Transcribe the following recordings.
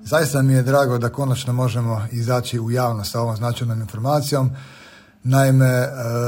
Zaista mi je drago da konačno možemo izaći u javnost sa ovom značajnom informacijom. Naime,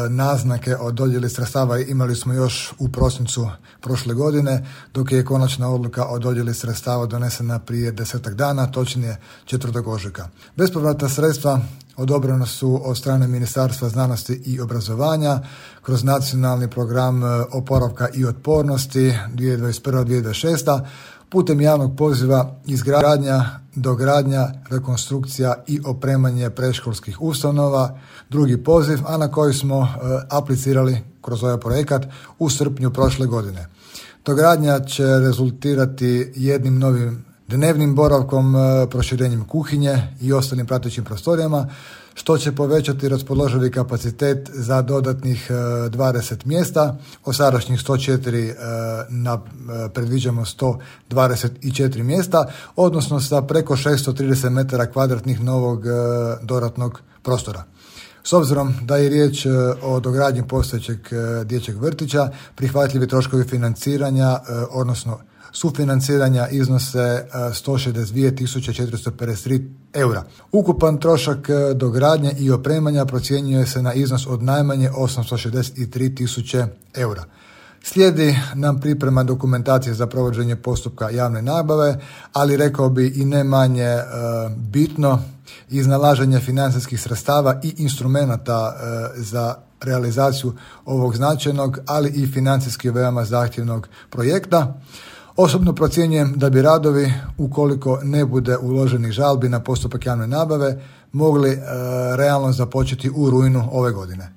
naznake o dodjeli sredstava imali smo još u prosincu prošle godine, dok je konačna odluka o dodjeli sredstava donesena prije 10 dana, točnije 4. ožujka. Bespovratna sredstva odobrena su od strane Ministarstva znanosti i obrazovanja kroz nacionalni program oporavka i otpornosti 2021-2026. putem javnog poziva izgradnja, dogradnja, rekonstrukcija i opremanje predškolskih ustanova, drugi poziv, a na koji smo aplicirali kroz ovaj projekat u srpnju prošle godine. Dogradnja će rezultirati jednim novim dnevnim boravkom, proširenjem kuhinje i ostalim pratećim prostorijama, što će povećati raspoloživi kapacitet za dodatnih 20 mjesta. Od sadašnjih 104 predviđamo 124 mjesta, odnosno sa preko 630 metara kvadratnih novog dodatnog prostora. S obzirom da je riječ o dogradnji postojećeg dječjeg vrtića, prihvatljivi troškovi financiranja, odnosno sufinanciranja iznose 162.453 eura. Ukupan trošak dogradnje i opremanja procjenjuje se na iznos od najmanje 863.000 eura. Slijedi nam priprema dokumentacije za provođenje postupka javne nabave, ali rekao bi i ne manje bitno, iznalaženje financijskih sredstava i instrumenata za realizaciju ovog značajnog, ali i financijski veoma zahtjevnog projekta. Osobno procjenjujem da bi radovi, ukoliko ne bude uloženih žalbi na postupak javne nabave, mogli realno započeti u rujnu ove godine.